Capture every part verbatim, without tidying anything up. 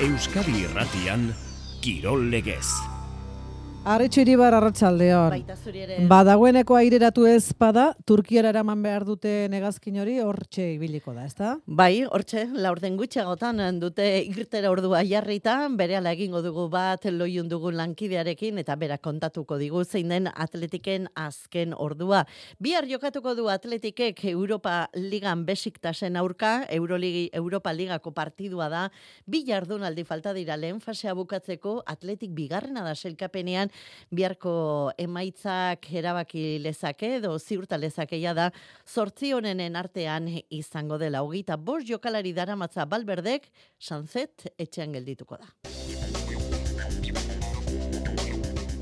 Euskadi Irratian, Kirol Legez. Arretxe Iribar, arratsaldeon. Badagoeneko aireratu ez bada, Turkiara eraman behar dute negazkin hori, hortxe ibiliko da, ezta? Bai, hortxe, laurden gutxagotan dute irtera ordua jarrita, berehala egingo dugu bat loiun dugun lankidearekin, eta berak kontatuko digu zein den Atletiken azken ordua. Bihar jokatuko du Atletikek Europa Ligan Besiktasen aurka, Euroligi, Europa Ligako partidua da, bi jardunaldi falta dira lehen fasea bukatzeko, Atletik bigarrena da sailkapenean, biharko emaitzak erabaki lezake edo ziurta lezakeia da zortzi honenen artean izango dela. Hogeita bost jokalari daramatza Balberdek, Sanzet etxean geldituko da.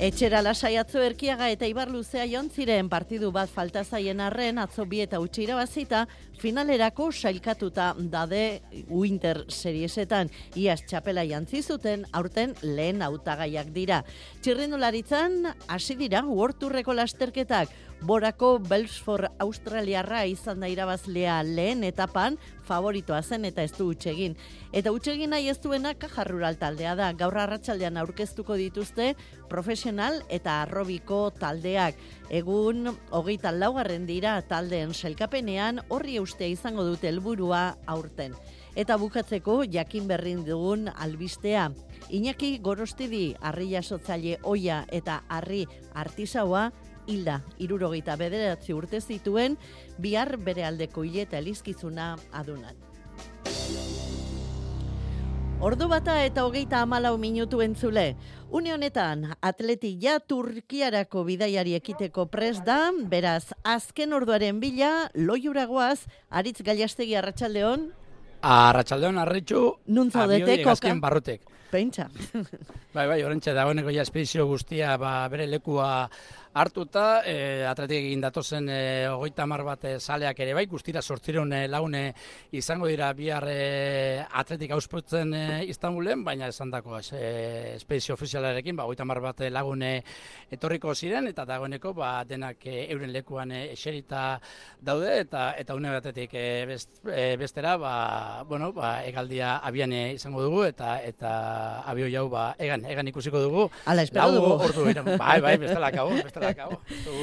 Etxera lasai atzo Erkiaga eta Ibar Luzea joan ziren partidu bat falta zaien arren, atzo bi eta utzi irabazita, finalerako sailkatuta dade Winter Seriesetan. Iaz txapela jantzi zuten, aurten lehen hautagaiak dira. Txirrindularitzan hasi dira World Tourreko lasterketak. Borako Belfort Australiarra izan da irabazlea lehen etapan, favoritoa zen eta ez du utxegin. Eta utxegin nahi ez duena Caja Rural taldea da. Gaur arratsaldean aurkeztuko dituzte profesional eta arrobiko taldeak. Egun hogeita laugarren dira taldeen sailkapenean, horri eustea izango dute helburua aurten. Eta bukatzeko jakin berrin dugun albistea. Iñaki Gorostidi, harri jasotzaile oia eta harri artisaua, hilda, hirurogeita bederatzi urte zituen, bihar bere aldeko hileta elizkizuna adunan. Ordu bata eta hogeita hamalau minutu entzule. Une honetan, Atleti ja Turkiarako bidaiari ekiteko prest da, beraz, azken orduaren bila, loiuragoaz, Aritz Gallastegi, arratsaldeon. Arratsaldeon, Arritxu, Nun zaudete, koka? Azken barrutek. Pentsa. Bai, bai, orentxe dagoeneko ja espedizio guztia ba, bere lekua hartuta, e, Atletik egin datozen e, hogeita hamar bat e, saleak ere bai, guztira zortziehun e, lagune izango dira bihar e, Atletik auspotzen e, Istanbulen, baina esan dako e, espedizio ofizialarekin, ba, hogeita hamar bat lagune etorriko ziren, eta dagoeneko ba, denak e, euren lekuan e, eserita daude, eta eta une batetik e, best, e, bestera, ba, bueno, ba, egaldia abian e, izango dugu, eta eta abio jau ba, egan, egan ikusiko dugu. Ala, espero dugu. Ordu, bai, bai, bestela kago, bestela.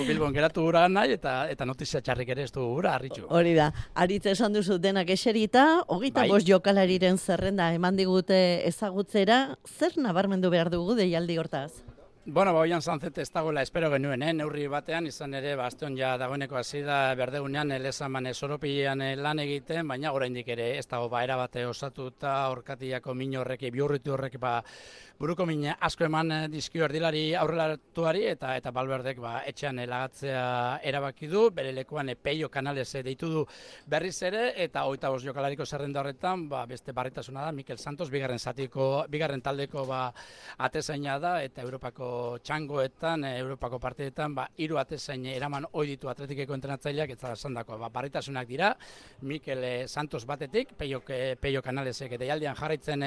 Bilbon geratu gura nahi eta eta notizia txarrik ere ez du gura, Arritxu. Hori da, Aritz esan duzu denak eserita, hogeita bai. bost jokalariren zerrenda eman digute ezagutzera, zer nabarmendu behar dugu deialdi hortaz? Bueno, ba, oian Sanzet ez dagoela espero genuen, eh? Neurri batean, izan ere, bastion ja dagoeneko hasi da berdegunean, lezaman soropilean lan egiten, baina oraindik ere ez dago ba, erabate osatuta, orkatiako min horrek, biurritu horrek, ba, buruko min asko eman dizkio erdilari aurrelatuari, eta eta Balberdek ba, etxean lagatzea erabaki du, bere lekuan Peio Canales deitu du berriz ere, eta hogeita bost jokalariko zerrenda horretan, ba, beste barritasuna da, Mikel Santos, bigarren zatiko, bigarren taldeko ba, atezaina da, eta Europako txangoetan, Europako partidetan, ba, hiru atezain eraman ohi ditu Atletikeko entrenatzaileak, eta esandako ba, barritasunak dira, Mikel Santos batetik, Peio, Peio Canalesek deialdian jarraitzen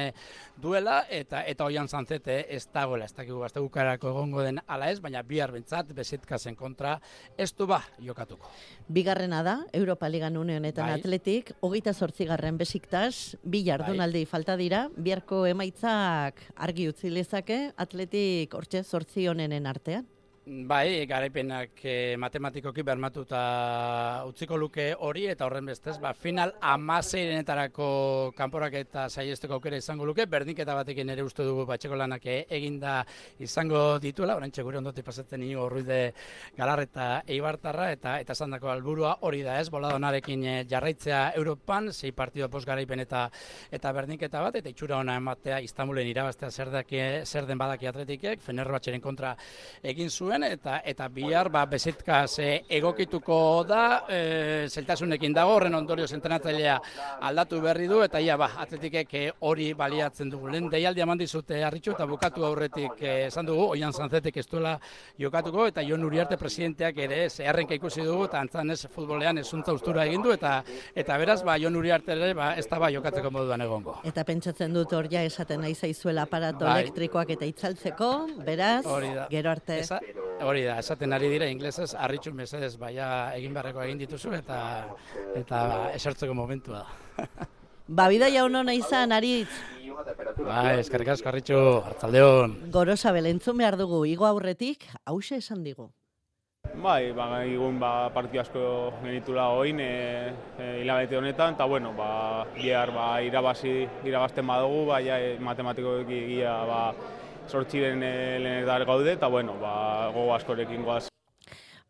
duela, eta eta oian Sanzete ez dagoela, ez dakigu bastegukarako egongo den ala ez, baina bihar bentsat Besiktasen kontra ez du ba jokatuko. Bigarrena da, Europa Ligan une honetan bai. Atletik, hogeita zortzigarren Besiktas, bi jardunaldi bai. Falta dira, biharko emaitzak argi utzi lezake, Atletik hortxe zortzi honenen artean. Bai, garaipenak e, matematikoki bermatuta utziko luke hori, eta horren bestez, ba, final hamaseirenetarako kanporak eta saiesteko aukera izango luke, berdinketa batekin ere uste dugu batxeko lanak eginda izango dituela, oraintxe gure ondotik pasatzen Inigo Ruiz Galarreta Eibartarra, eta eta esandako helburua hori da ez, boladonarekin jarraitzea Europan, sei partido post garaipen eta eta berdinketa bat, eta itxura ona ematea Istanbulen irabaztea zer, daki, zer den badaki Atletikek, Fenerbahçeren kontra egin zuen, eta eta bihar ba Besiktas egokituko da, e, zeltasunekin dago, horren ondorioz entrenatzailea aldatu berri du, eta ia ba Atletikek hori baliatzen dugu. Lehen deialdia eman dizute Arritxu, eta bukatu aurretik esan dugu oian Sanzetek ez duela jokatuko, eta Jon Uriarte presidenteak ere zeharrenka ikusi dugu, eta antzan ez futbolean ezuntza ustura egin du, eta eta beraz ba Jon Uriarte ere ba ez da ba jokatzeko moduan egongo. Eta pentsatzen dut hor ja esaten nahi zaizuela aparato bai. elektrikoak eta itzaltzeko, beraz, gero arte. Esa, hori da, esaten ari dira inglesez, Arritxu mesedez baia egin beharreko egin dituzu, eta eta esertzeko momentua da. Ba, bidaia honona izan, Aritz. Bai, eskerrik asko Arritxu, arratsaldeon. Gorosabel entzun behar dugu, igo aurretik, hause esan digu. Bai, ba, egun ba, partidu asko genitula oin e, e, hilabete honetan, eta bueno, ba, bihar ba, irabazi, irabazten badugu, ba, ja, matematikoki egia ba, sortxiren e, lehenetar gaude, eta bueno, ba, gogo askorekin goaz.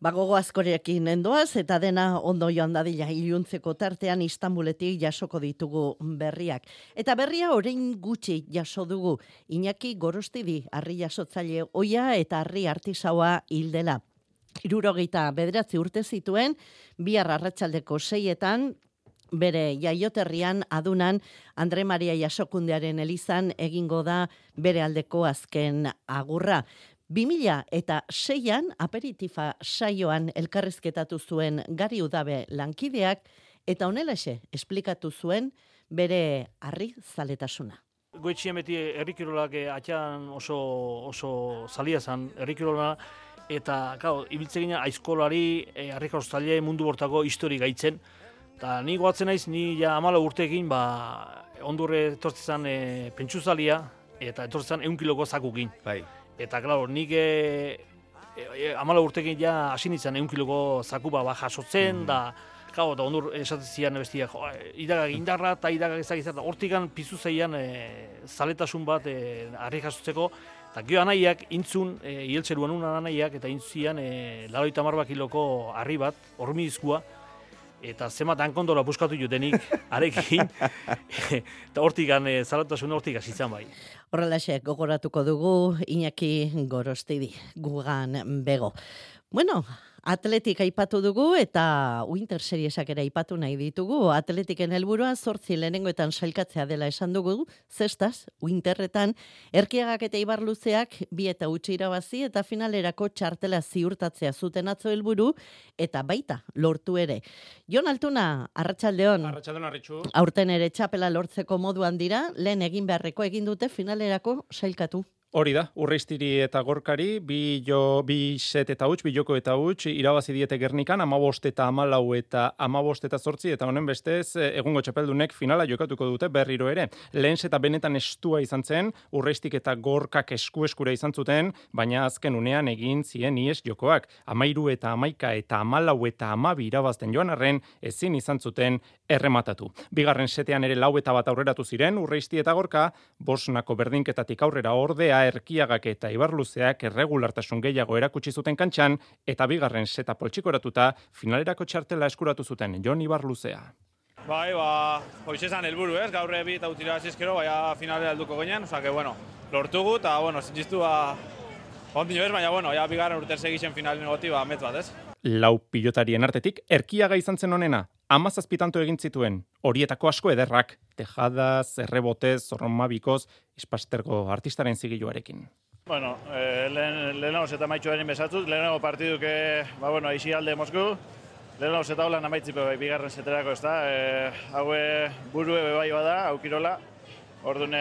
Ba, gogo askorekin endoaz, eta dena ondo joan dadila iluntzeko tartean Istanbuletik jasoko ditugu berriak. Eta berria orain gutxi jaso dugu, Iñaki Gorostidi, harri jasotzaile oia eta harri artisaua hildela. Hirurogeita bederatzi urte zituen, bihar arratsaldeko seietan, bere jaioterrian adunan Andre Maria Jasokundearen elizan egingo da bere aldeko azken agurra. bi mila eta seian aperitifa saioan elkarrizketatu zuen Gari Udabe lankideak eta honelaxe esplikatu zuen bere harri zaletasuna. Goitzien beti herrikirolak atxan oso, oso zalia zan herrikirola, eta, claro, ibiltzen gina aizkolari, e, harrikarozaile mundu bortako histori gaitzen. Eta ni goatzen naiz, ni ja amala urteekin, ba, ondurre etortzen e, pentsuzalia, eta etortzen eun kiloko zakukin. Bai. Eta, claro, nik e, e, amala urteekin ja hasi nintzen eun kiloko zakuba ba, jasotzen, mm. da, claro, da ondur esatzen zian bestia, jo, idagak indarra eta idagak ezagizat, hortikan pizu zeian e, zaletasun bat e, harri jasotzeko. Eta gio anaiak intzun, e, ieltzeruan unan anaiak, eta intzian e, laroita marba kiloko harri bat, hormizkua, eta zemat hankondola buskatu jutenik, arekin, eta hortikan, e, zalatasun hortik azitzan bai. Horrelaxe, gogoratuko dugu Iñaki Gorostidi, gugan bego. Bueno, Atletik aipatu dugu eta Winter Seriesak ere aipatu nahi ditugu. Atletiken helburua zortzi lehenengoetan sailkatzea dela esan dugu, zestaz, Winterretan, Erkiagak eta Ibarluzeak bi eta utzi irabazi eta finalerako txartela ziurtatzea zuten atzo helburu eta baita lortu ere. Jon Altuna, arratsaldeon. Arratsaldeon Arritxu. Aurten ere txapela lortzeko moduan dira, lehen egin beharreko egin dute finalerako sailkatu. Hori da, Urreiztiri eta Gorkari, bi, jo, bi set eta huts, bi joko eta huts, irabazi diete Gernikan, amabost eta amalau eta amabost eta zortzi, eta honen bestez, egungo txapeldunek finala jokatuko dute berriro ere. Lehen seta benetan estua izan zen, Urreiztik eta Gorkak esku-eskura izan zuten, baina azken unean egin zien ies jokoak. Amairu eta amaika eta amalau eta amabi irabazten joan arren, ezin izan zuten errematatu. Bigarren setean ere lau eta bat aurreratu ziren, Urreizti eta Gorka, bosnako berdinketatik aurrera ordea, Erkiagak eta Ibarluzeak erregulartasun gehiago erakutsi zuten kantxan eta bigarren seta poltsikoratuta finalerako txartela eskuratu zuten Jon Ibarluzea. Bai, ba, hoiz esan helburu, ez? Gaur ebi eta utira zizkero, baina finalera helduko ginen, oza, que, bueno, lortugu, eta, bueno, zintzistu, ba, ondino ez, baina, bueno, ja, bigarren urter segixen finalen goti, ba, metz bat, ez? Lau pilotarien artetik, Erkiaga izan zen honena, hamazazpitanto egin zituen, horietako asko ederrak, tejadaz, errebotez, zorromabikoz, Ispastergo artistaren zigiluarekin. Bueno, eh, lehen, lehenago zeta maitxu denin besatzut, lehenago partiduke, ba, bueno, aixi alde Mosku, lehenago zeta holan amaitzipe bai, bigarren zeterako, ez da, e, haue burue bebai bada, aukirola, orduan,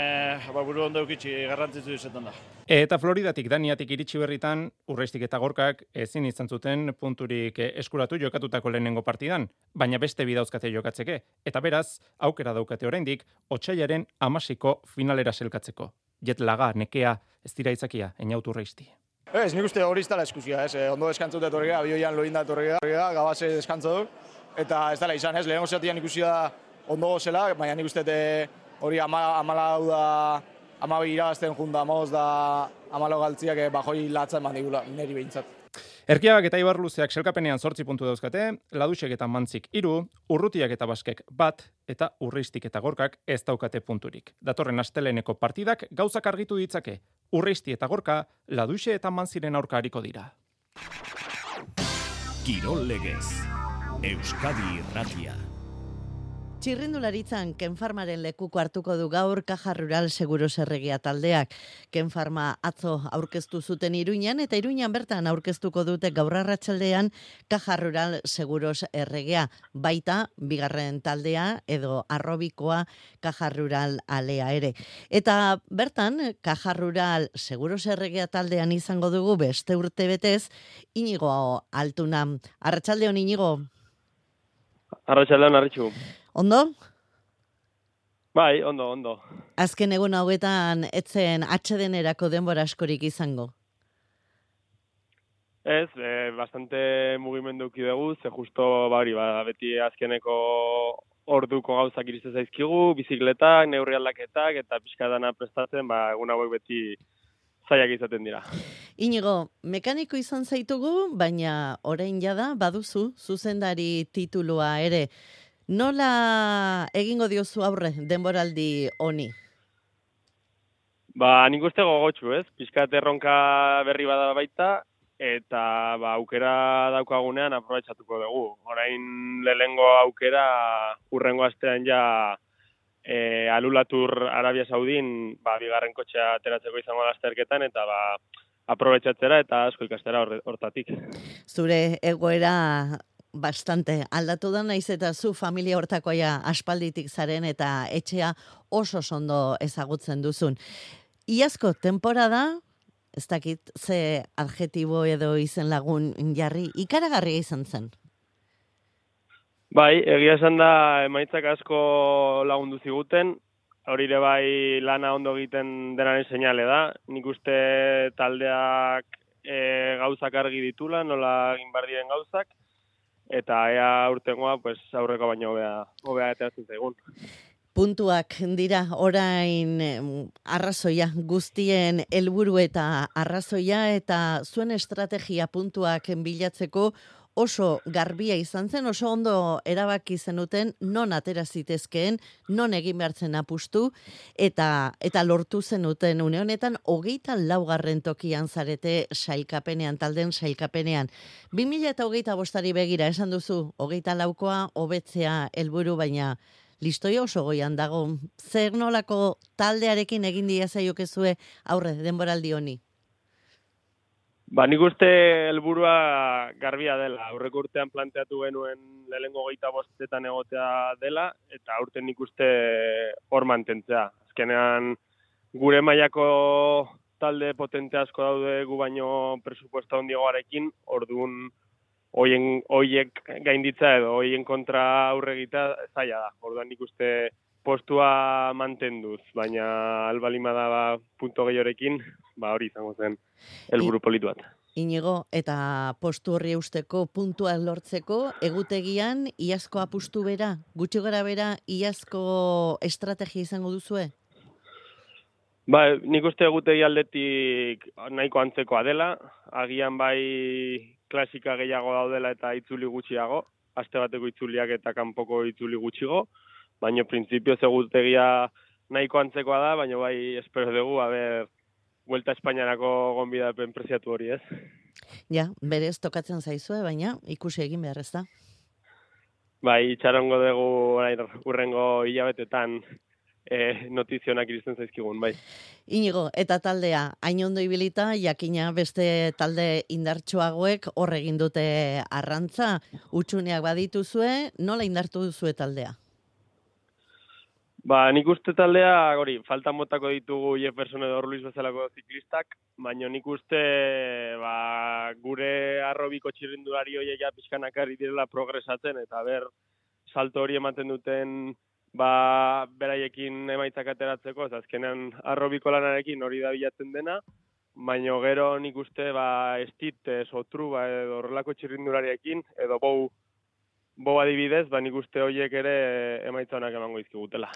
ba, buru ondo eukitzi garrantzitzu izetan da. Eta Floridatik, Daniatik iritsi berritan, Urreiztik eta Gorkak ezin izan zuten punturik eskuratu jokatutako lehenengo partidan, baina beste bidauzkate jokatzeke, eta beraz, aukera daukate oraindik, otsailaren hamasiko finalera selkatzeko. Jet laga, nekea, ez dira izakia, eniautu Urreizti. Ez, nik uste hori ez dela eskuzia, ez, ondo deskantzut etorrega, bioian loinda etorrega, gabaze deskantzo du, eta ez dela izan, ez, lehenengo zatian ikusi da ondo gozela, baina nik uste hori amalau da, amabi irabazten junda amoz da amalo galtziak bajoi latza eman digula, niri behintzat. Erkiagak eta Ibarluzeak selkapenean zortzi puntu dauzkate, Ladusek eta Mantzik hiru, Urrutiak eta Baskek bat, eta Urreiztik eta Gorkak ez daukate punturik. Datorren asteleneko partidak gauzak argitu ditzake. Urreizti eta Gorka, Laduse eta Mantziren aurka hariko dira. Kirol Legez, Euskadi Irratia. Txirrindularitzan Kenfarmaren lekuko hartuko du gaur Caja Rural Seguros Erregia taldeak. Kenfarma atzo aurkeztu zuten Iruinan eta Iruinan bertan aurkeztuko dute gaur arratsaldean Caja Rural Seguros Erregia. Baita bigarren taldea edo arrobikoa Caja Rural alea ere. Eta bertan Caja Rural Seguros Erregia taldean izango dugu beste urte betez Inigo Altuna. Arratsaldeon Inigo. Arratsaldeon Arritxu. Ondo? Bai, ondo, ondo. Azken egun hauetan etzen atsedenerako denbora askorik izango? Ez, e, bastante mugimendu uki dugu, ze justo bari, ba, beti azkeneko orduko gauzak iriste zaizkigu, bizikletak, neurri aldaketak eta pixka dana prestatzen, ba, egun hauek beti zaiak izaten dira. Inigo, mekaniko izan zaitugu, baina orain jada baduzu zuzendari titulua ere. Nola egingo diozu aurre denboraldi honi? Ba, nik uste gogotxu, ez? Pixkat erronka berri bada baita, eta ba, aukera daukagunean aprobetxatuko dugu. Orain lehengo aukera urrengo astean ja e, Alulatur Arabia Saudin ba, bigarren kotxea ateratzeko izango lasterketan, eta ba, aprobetxatzera eta asko ikastera hortatik. Zure egoera bastante aldatu da, naiz eta zu familia hortakoia aspalditik zaren eta etxea oso ondo ezagutzen duzun. Iazko temporada, ez dakit ze adjetibo edo izen lagun jarri, ikaragarria izan zen. Bai, egia esan da emaitzak asko lagundu ziguten, hori ere bai lana ondo egiten denaren seinale da. Nik uste taldeak e, gauzak argi ditula, nola egin behar diren gauzak, eta ea urtengoa pues, aurreko baino hobea hobea ateratzen zaigun. Puntuak dira orain arrazoia, guztien helburu eta arrazoia, eta zuen estrategia puntuak bilatzeko oso garbia izan zen, oso ondo erabaki zenuten non atera zitezkeen, non egin behartzen apustu, eta eta lortu zenuten une honetan hogeita laugarren tokian zarete sailkapenean, talden sailkapenean. bi mila hogeita bostari begira esan duzu, hogeita laukoa hobetzea helburu, baina listoia oso goian dago. Zer nolako taldearekin egin dia zaiokezue aurre denboraldi honi? Ba, nik uste helburua garbia dela. Aurreko urtean planteatu genuen lehengo hogeita bostetan egotea dela, eta aurten nik uste hor mantentzea. Azkenean gure mailako talde potente asko daude gu baino presupuesto handiagoarekin, orduan hoien hoiek gainditza edo hoien kontra aurre egitea zaila da. Orduan nik uste postua mantenduz, baina albalima da ba, punto gehiorekin, ba hori izango zen helburu politu bat. Inigo, eta postu horri eusteko puntua lortzeko, egutegian iazko apustu bera, gutxi gara bera iazko estrategia izango duzue? Ba, nik uste egutegi aldetik nahiko antzekoa dela, agian bai klasika gehiago daudela eta itzuli gutxiago, aste bateko itzuliak eta kanpoko itzuli gutxigo, baina printzipioz egutegia nahiko antzekoa da, baina bai espero dugu, a ber, Vuelta Espainiarako gonbidapen preziatu hori, ez? Ja, berez tokatzen zaizue, baina ikusi egin behar ez da. Bai, itxarongo dugu orain urrengo hilabetetan e, notizionak iristen zaizkigun, bai. Inigo, eta taldea, hain ondo ibilita, jakina beste talde indartsuagoek hor egin dute arrantza, utxuneak badituzue, nola indartu duzue taldea? Ba, nik uste taldea, hori, falta motako ditugu Jefferson edo Orluis bezalako ziklistak, baina nik uste ba, gure arrobiko txirrindulari horiek ja pixkanak ari direla progresatzen, eta ber, salto hori ematen duten ba, beraiekin emaitzak ateratzeko, ez azkenean arrobiko lanarekin hori da bilatzen dena, baina gero nik uste ba, estit, sotru, ba, edo horrelako txirrindulariekin, edo bou, Bo adibidez, ba nik uste horiek ere emaitza honak emango izkigutela.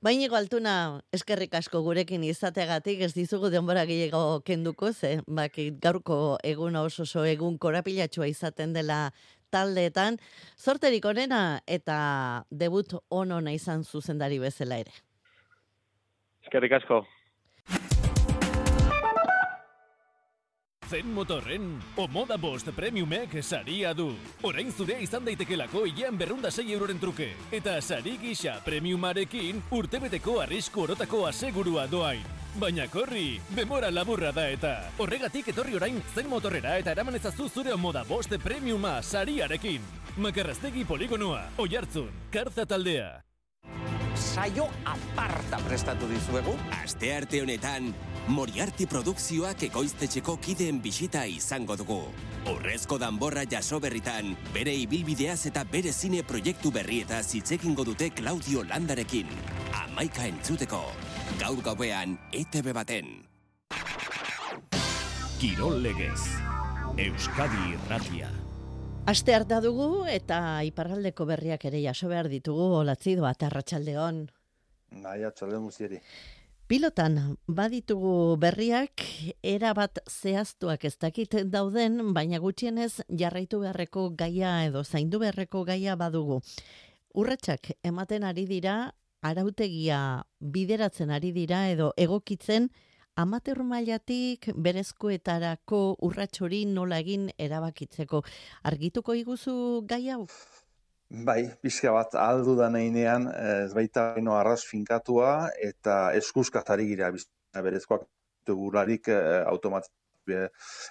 Bainigo Altuna, eskerrik asko gurekin izateagatik, ez dizugu denbora gehiago kenduko, ze bakit gaurko eguna oso oso egun korapilatxua izaten dela taldeetan, zorterik onena eta debut onona izan zuzendari bezala ere. Eskerrik asko. Zen Motorren, Omoda Bost Premiumek saria du. Orain zure izan daitekelako hilean berrunda sei euroren truke. Eta sari gisa premiumarekin urtebeteko arrisku orotako asegurua doain. Baina korri, demora laburra da eta. Horregatik etorri orain Zen Motorrera eta eraman ezazu zure Omoda Bost Premiuma sariarekin. Makarraztegi poligonoa, Oiartzun, Karza taldea. Saio aparta prestatu dizuegu. Astearte honetan, Moriarty produkzioak ekoiztetxeko kideen bisita izango dugu. Horrezko danborra jaso berritan, bere ibilbideaz eta bere zine proiektu berrietaz hitz egingo dute Claudio Landarekin. amaika entzuteko. Gaur gauean E T B baten. Kirol legez. Euskadi Irratia. Aste harta dugu eta iparraldeko berriak ere jaso behar ditugu. Olatzido bat arratsaldeon. Nahi, atxaldeon guztiari. Pilotan baditugu berriak erabat zehaztuak ez dakit dauden, baina gutxienez jarraitu beharreko gaia edo zaindu beharreko gaia badugu. Urratsak ematen ari dira, arautegia bideratzen ari dira edo egokitzen amateur mailatik berezkoetarako urrats hori nola egin erabakitzeko. Argituko iguzu gai hau? Bai, pixka bat aldu da nahinean, ez baita ino arras finkatua eta eskuzkazari gira, berezkoak gurarik automatik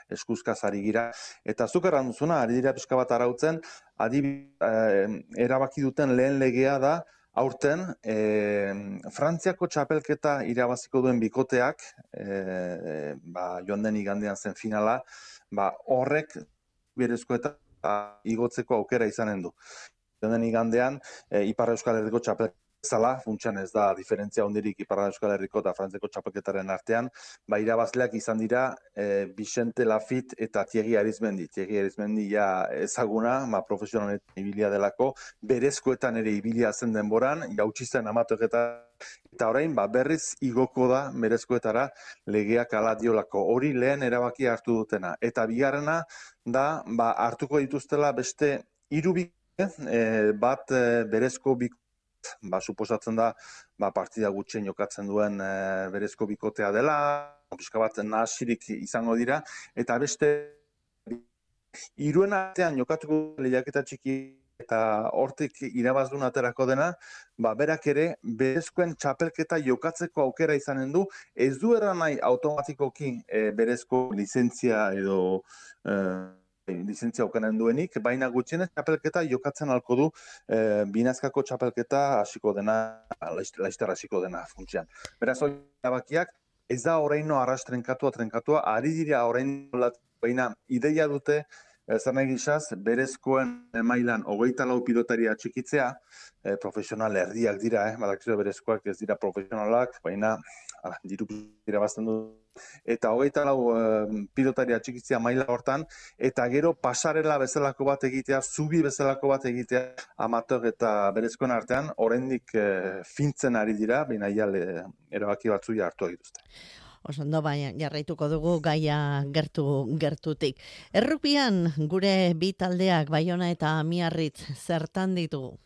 eskuzkazari gira. Eta zuk erran duzuna, ari dira pixka bat arautzen, adibidez, erabaki duten lehen legea da, aurten, e, Frantziako txapelketa irabaziko duen bikoteak, e, ba, joan den igandean zen finala, ba, horrek berezko eta igotzeko aukera izanen du. Joan den igandean, e, Ipar Euskal Herriko txapelketa zala, funtsan ez da diferentzia hondirik Ipar Euskal Herriko eta Frantziako txapelketaren artean, ba, irabazleak izan dira e, Vicente Lafit eta Thierry Arizmendi. Thierry Arizmendi ja ezaguna, ma profesionalet ibilia delako, berezkoetan ere ibilia zen denboran, jautsi zen amatoeketa, eta orain ba, berriz igoko da berezkoetara legeak ala diolako. Hori lehen erabakia hartu dutena. Eta bigarrena da ba, hartuko dituztela beste hiru bikote, e, bat e, berezko bikote, ba, suposatzen da, ba, partida gutxien jokatzen duen e, berezko bikotea dela, pixka bat nahasirik izango dira, eta beste hiruen artean jokatuko lehiaketa txiki eta hortik irabazdun aterako dena, ba, berak ere berezkoen txapelketa jokatzeko aukera izanen du, ez du erran nahi automatikoki e, berezko lizentzia edo e, lizentzia aukanen duenik, baina gutxienez txapelketa jokatzen halko du e, binazkako txapelketa hasiko dena, laizter hasiko dena funtsian. Beraz, hori erabakiak ez da oraino arras trenkatua trenkatua, ari dira oraino baina ideia dute, zer nahi gizaz, berezkoen mailan hogeita lau pilotaria txikitzea, e, profesional erdiak dira, eh? Badakizue berezkoak ez dira profesionalak, baina ala, diru dira bazten du. Eta hogeita lau e, pilotaria txikitzea maila hortan, eta gero pasarela bezalako bat egitea, zubi bezalako bat egitea, amateur eta berezkoen artean, oraindik e, fintzen ari dira, baina iale erabaki batzuia hartu dituzte. Osondo, baina jarraituko dugu gaia gertu gertutik. Errupian gure bi taldeak Baiona eta Miarritz zertan ditugu?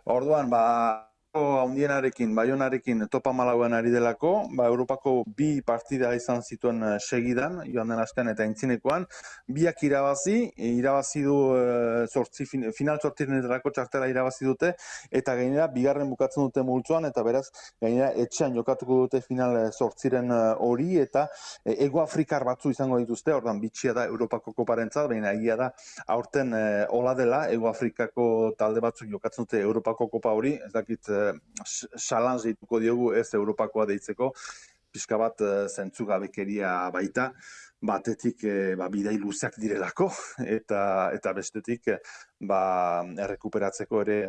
Orduan, ba, handienarekin, Baionarekin topa malauan ari delako, ba, Europako bi partida izan zituen segidan, joan den astean eta aintzinekoan, biak irabazi, irabazi du e, sortzi, final sortirenetarako txartela irabazi dute, eta gainera bigarren bukatzen dute multzoan, eta beraz, gainera etxean jokatuko dute final sortziren hori, eta e, Ego Afrikar batzu izango dituzte, ordan bitxia da Europako koparentzat, baina egia da, aurten e, hola dela, Ego Afrikako talde batzuk jokatzen dute Europako kopa hori, ez dakit salanz dituko diogu ez Europakoa deitzeko, pixka bat zentzugabekeria baita, batetik ba, bidai luzeak direlako, eta eta bestetik ba, errekuperatzeko ere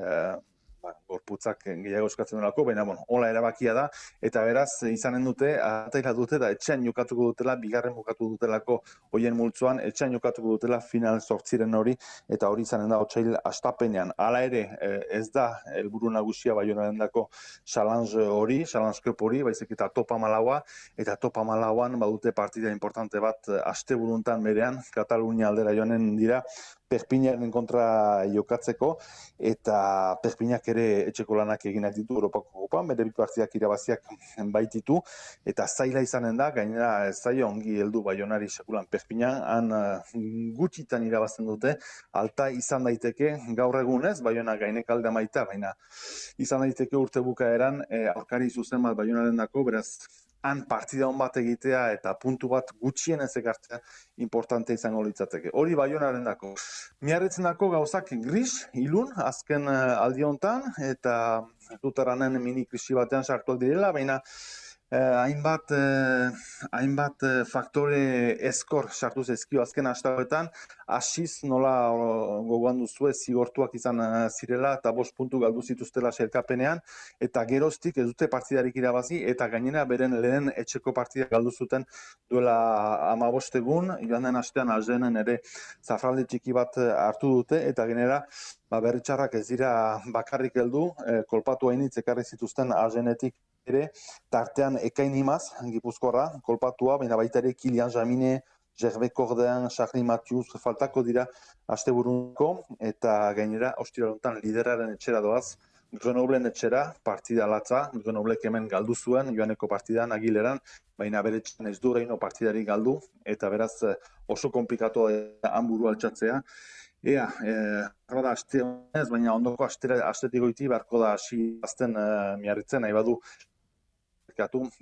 ba, gorputzak gehiago eskatzen delako, baina bueno, hola erabakia da, eta beraz izanen dute, ataila dute da etxean jokatuko dutela, bigarren bukatu dutelako hoien multzoan, etxean jokatuko dutela final sortziren hori, eta hori izanen da otsail astapenean. Hala ere, ez da helburu nagusia Baionaren dako challenge hori, challenge cup hori, baizik eta topa malaua, eta topa malauan badute partida importante bat aste buruntan berean, Katalunia aldera joanen dira, Perpinaren kontra jokatzeko, eta Perpinak ere etxeko lanak eginak ditu Europako kopan, bere bi partidak irabaziak baititu, eta zaila izanen da, gainera ez zaio ongi heldu Baionari sekulan Perpinan, han uh, gutxitan irabazten dute, alta izan daiteke gaur egunez, Baiona gainek alde amaita, baina izan daiteke urte bukaeran, eh, aurkari zuzen bat Baionaren dako, beraz, han partida hon bat egitea eta puntu bat gutxien ez ekartzea importante izango litzateke. Hori Baionaren dako. Miarritzen dako gauzak gris, ilun, azken uh, aldi hontan, eta dutaranen mini krisi batean sartuak direla, baina Eh, hainbat, eh, hainbat eh, faktore eskor sartu zezkio azken hastagoetan, hasiz nola o, gogoan duzue zigortuak izan eh, zirela eta bost puntu galdu zituztela sailkapenean, eta geroztik ez dute partidarik irabazi, eta gainera beren lehen etxeko partida galdu zuten duela hamabost egun, joan den astean Arzenen ere zafralde txiki bat hartu dute, eta gainera ba, berritxarrak ez dira bakarrik heldu, eh, kolpatu hainitz ekarri zituzten Arzenetik ere, tartean Ekain Imaz, Gipuzkoarra, kolpatua, baina baita ere Kilian Jamine, Gerbe Kordean, Charly Matthews, faltako dira asteburuko, eta gainera, ostiralontan lideraren etxera doaz, Grenoblen etxera, partida latza, Grenoblek hemen galdu zuen, joaneko partidan, Agileran, baina bere etxean ez du reino partidari galdu, eta beraz oso komplikatu hanburu altxatzea. Ea, eh, da aste honez, baina ondoko astera, astetik goiti beharko da hasi azten eh, miarritzen, nahi badu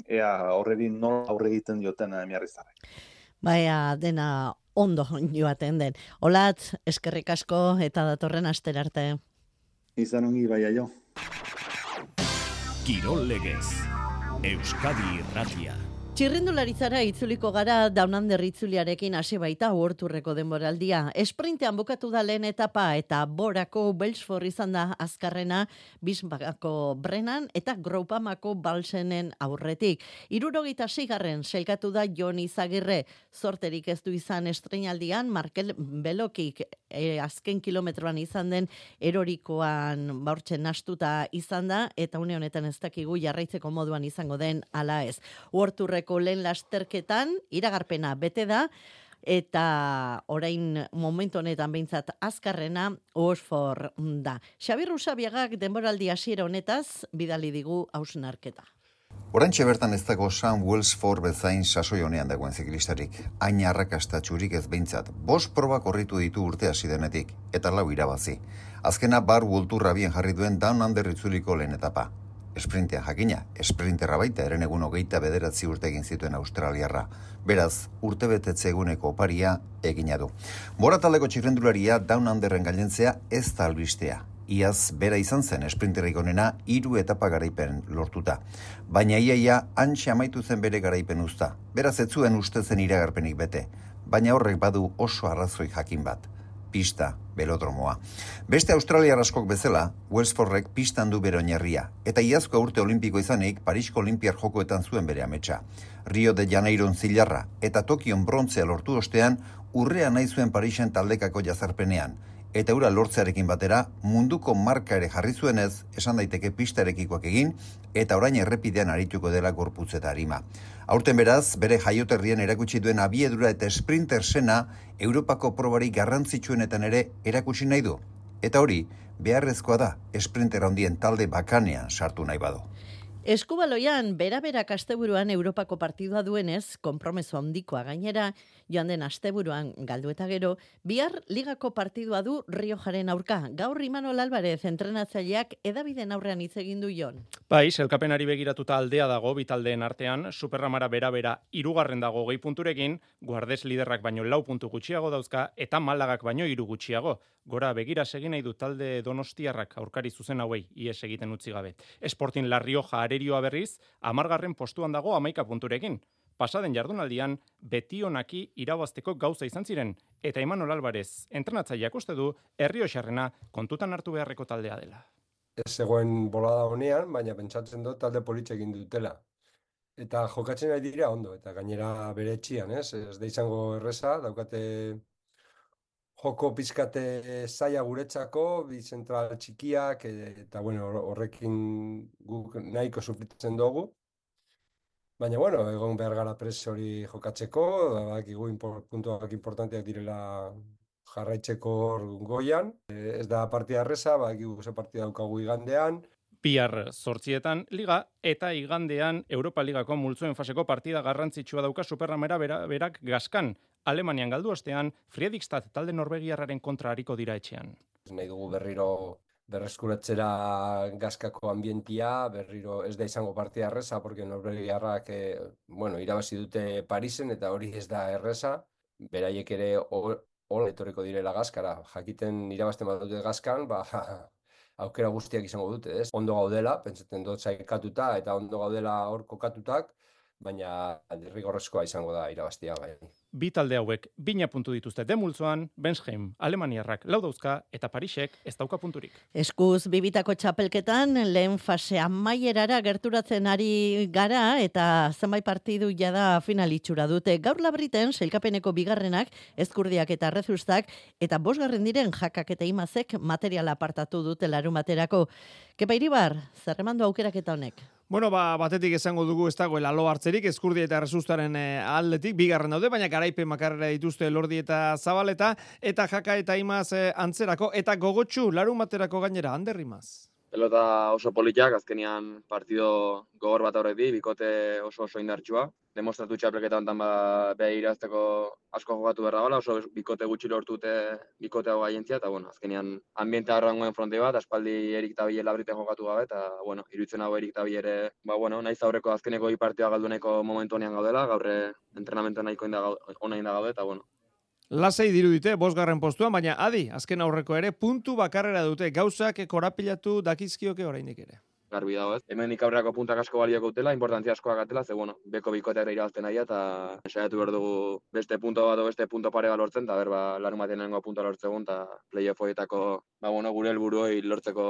ea horreri nola aurre egiten dioten uh, miarrizarrek. Baina dena ondo joaten den. Olatz, eskerrik asko eta datorren astera arte. Izan ongi baia jo. Kirol legez, Euskadi Irratia. Txirrindularitzara itzuliko gara Down Under itzuliarekin hasi baita Worldtourreko denboraldia. Esprintean bukatu da lehen etapa eta Borako Belfort izan da azkarrena, Bismarckko Brennan eta Groupamako Balsenen aurretik. Hirurogeita seigarren sailkatu da Jon Izagirre. Zorterik ez du izan estreinaldian, Markel Belokik e, azken kilometroan izan den erorikoan baurtzen nastuta izan da, eta une honetan ez dakigu jarraitzeko moduan izango den ala ez. Worldtourreko lehen lasterketan, iragarpena bete da, eta orain momentu honetan behintzat azkarrena Oxford da. Xabi Rusabiagak denboraldi hasiera honetaz bidali digu hausnarketa. Oraintxe bertan ez dago Sam Welsford bezain sasoi honean dagoen ziklistarik. Hain arrakastatsurik ez behintzat. Bost proba korritu ditu urte hasi denetik, eta lau irabazi. Azkena bar Worldtourra bien jarri duen Down Under itzuliko lehen etapa. Esprintean jakina, esprinterra baita eren egun hogeita bederatzi urte egin zituen Australiarra. Beraz, urte betetze eguneko oparia egina du. Bora taldeko txirrendularia Down Underren gailentzea ez da albistea. Iaz bera izan zen esprinterrik onena hiru etapa garaipen lortuta. Baina iaia hantxe amaitu zen bere garaipen uzta. Beraz ez zuen uste zen iragarpenik bete. Baina horrek badu oso arrazoi jakin bat. Pista, belodromoa. Beste australiar askok bezala, Welsfordrek pistan du bere oinarria, eta iazko urte olimpiko izanik Parisko Olimpiar jokoetan zuen bere ametsa. Rio de Janeiron zilarra eta Tokion brontzea lortu ostean, urrea nahi zuen Parisen taldekako jazarpenean, eta ura lortzearekin batera munduko marka ere jarri zuenez, esan daiteke pistarekikoak egin, eta orain errepidean arituko dela gorputz eta arima. Aurten beraz, bere jaioterrien erakutsi duen abiedura eta sprinter sena Europako probari garrantzitsuenetan ere erakutsi nahi du. Eta hori, beharrezkoa da, sprinter handien talde bakanean sartu nahi badu. Eskubaloian, bera-berak asteburuan Europako partidua duenez, konpromeso handikoa gainera, joan den asteburuan galdu eta gero, bihar ligako partidua du Riojaren aurka. Gaur Imanol Alvarez entrenatzaileak edabiden aurrean hitz egin du Jon. Bai, sailkapenari begiratuta aldea dago bitaldeen artean, Superramara bera-bera hirugarren dago gehi punturekin, Guardes liderrak baino lau puntu gutxiago dauzka, eta Malagak baino hiru gutxiago. Gora begira segin nahi du talde Donostiarrak aurkari zuzen hauei ies egiten utzi gabe. Sporting La Rioja arerioa berriz, hamargarren postuan dago hamaika punturekin. Pasaden jardunaldian, betionaki irabazteko gauza izan ziren, eta Imanol Alvarez, entrenatzaileak uste du, Errioxarrena kontutan hartu beharreko taldea dela. Ez zegoen bolada honean, baina pentsatzen dut talde politxe egin dutela. Eta jokatzen ari dira ondo, eta gainera bere etxian, ez? Ez da izango erreza, daukate joko pizkate zaila guretzako, bi zentral txikiak, eta bueno, horrekin guk nahiko sufritzen dugu. Baina, bueno, egon behar gara pres hori jokatzeko, badakigu puntuak importanteak direla jarraitzeko goian. Ez da partida erreza, badakigu ze partida daukagu igandean. Bihar zortzietan liga eta igandean Europa Ligako multzoen faseko partida garrantzitsua dauka Superramera bera, berak gaskan. Alemanian galdu ostean, Fredrikstad talde norvegiarraren kontra hariko dira etxean. Nahi dugu berriro berreskuratzera gaskako ambientia, berriro ez da izango partida erreza, porque norvegiarrak eh, bueno, irabazi dute Parisen eta hori ez da erreza. Beraiek ere hola etorriko direla gaskara. Jakiten irabazten bat dute gaskan, ba, aukera guztiak izango dute, ez? Ondo gaudela, pentsatzen dut sailkatuta eta ondo gaudela hor kokatutak, baina derrigorrezkoa izango da irabaztia bai. Bi talde hauek bina puntu dituzte demultzoan, Bensheim, Alemaniarrak lau dauzka eta Parisek ez dauka punturik. Eskuz bibitako txapelketan lehen fase amaierara gerturatzen ari gara eta zenbait partidu jada finalitxura dute. Gaur Labriten sailkapeneko bigarrenak, Ezkurdiak eta Rezustak eta bosgarren diren Jakak eta Imazek materiala apartatu dute larumaterako. Kepa Iribar, zerremandu aukeraketa honek? Bueno, ba, batetik esango dugu ez dagoela lo hartzerik, Ezkurdia eta Rezustaren e, aldetik, bigarren daude, baina garaipen makarrera dituzte Lordi eta Zabaleta, eta Jaka eta Imaz e, antzerako, eta gogotxu larumaterako gainera, Ander Imaz. Pelota oso politak, azkenian partido gogor bat horrek di, bikote oso oso indartsua. Demostratu txapelketa honetan ba, beha irazteko asko jokatu behar dagoela, oso bikote gutxi lortute bikote hau gaientzia, eta bueno, azkenian ambientea arrangoen fronte bat, aspaldi Erik Tabile Labriten jokatu gabe, eta bueno, iruditzen hau Erik Tabile, ba bueno, naiz aurreko azkeneko bi partida galduneko momentu honean gaudela, gaurre entrenamentu nahiko ona inda gaude, eta bueno. Lasei dirudite, bosgarren postuan, baina adi, azken aurreko ere, puntu bakarrera dute, gauzak korapilatu dakizkioke oraindik ere. Garbi dago, ez? Hemen ikaurreako puntak asko balioko utela, importantzia askoak atela, ze bueno, beko bikoteak irabazten nahi eta saiatu behar dugu beste punto bat o beste punto pare bat lortzen, eta berba larumaten nengo punto lortzegun, eta play-offoetako, ba bueno, gure helburuei lortzeko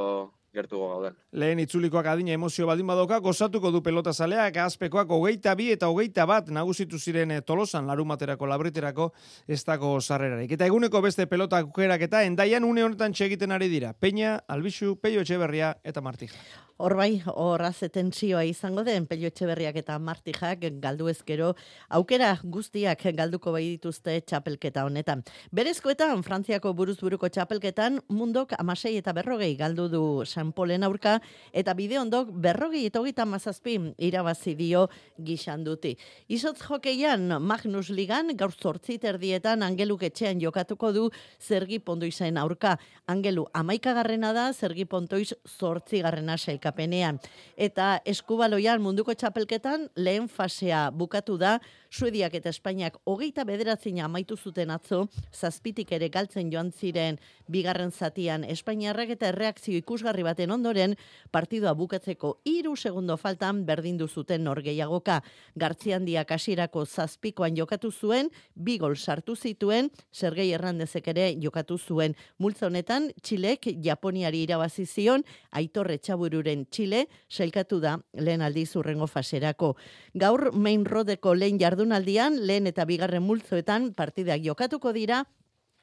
gertuko gauden. Lehen itzulikoak adina emozio baldin badoka, gozatuko du pelota zaleak, azpekoak hogeita bi eta hogeita bat nagusitu ziren Tolosan larumaterako labriterako ez dago sarrerarik. Eta eguneko beste pelota aukerak eta endaian une honetan txegiten ari dira. Peña, Albixu, Peio Etxeberria eta Martija. Hor bai, horra zetentsioa izango den, Pello Etxeberriak eta Martijak galdu ezkero, aukera guztiak galduko bai dituzte txapelketa honetan. Berezkoetan, Frantziako buruzburuko txapelketan, Mundok amasei eta berrogei galdu du San Polen aurka, eta Bideondok berrogei eta hogeita mazazpi irabazi dio gixanduti. Izotz jokeian, Magnus Ligan, gaur zortzi terdietan, Angeluk etxean jokatuko du Zergi Pontoizen aurka. Angelu amaikagarrena da, Zergi Pontoiz zortzi garrena sailkapenean. Eta eskubaloian munduko txapelketan lehen fasea bukatu da, Suediak eta Espainiak hogeita bederatzina amaitu zuten atzo, zazpitik ere galtzen joan ziren bigarren zatian Espainiarrak eta erreakzio ikusgarri baten ondoren, partidua bukatzeko hiru segundo faltan berdindu zuten norgehiagoka. Gartziandiak hasierako zazpikoan jokatu zuen, bi gol sartu zituen, Sergei Hernandezek ere jokatu zuen. Multzo honetan, Txilek Japoniari irabazi zion, Aitor Etxabururen Txile, sailkatu da lehen aldiz hurrengo faserako. Gaur Main Roadeko lehen jardunaldian, lehen eta bigarren multzoetan partidak jokatuko dira,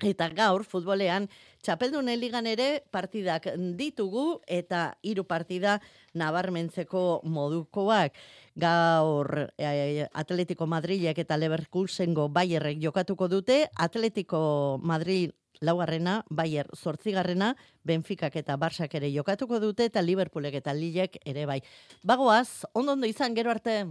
eta gaur futbolean txapeldunen ligan ere partidak ditugu eta hiru partida nabarmentzeko modukoak. Gaur eh, Atletico Madrilek eta Leverkusengo Bayerrek jokatuko dute, Atletico Madrid laugarrena, Bayer zortzigarrena, Benficak eta Barsak ere jokatuko dute, eta Liverpoolek eta Lillek ere bai. Bagoaz, ondo ondo izan, gero arte.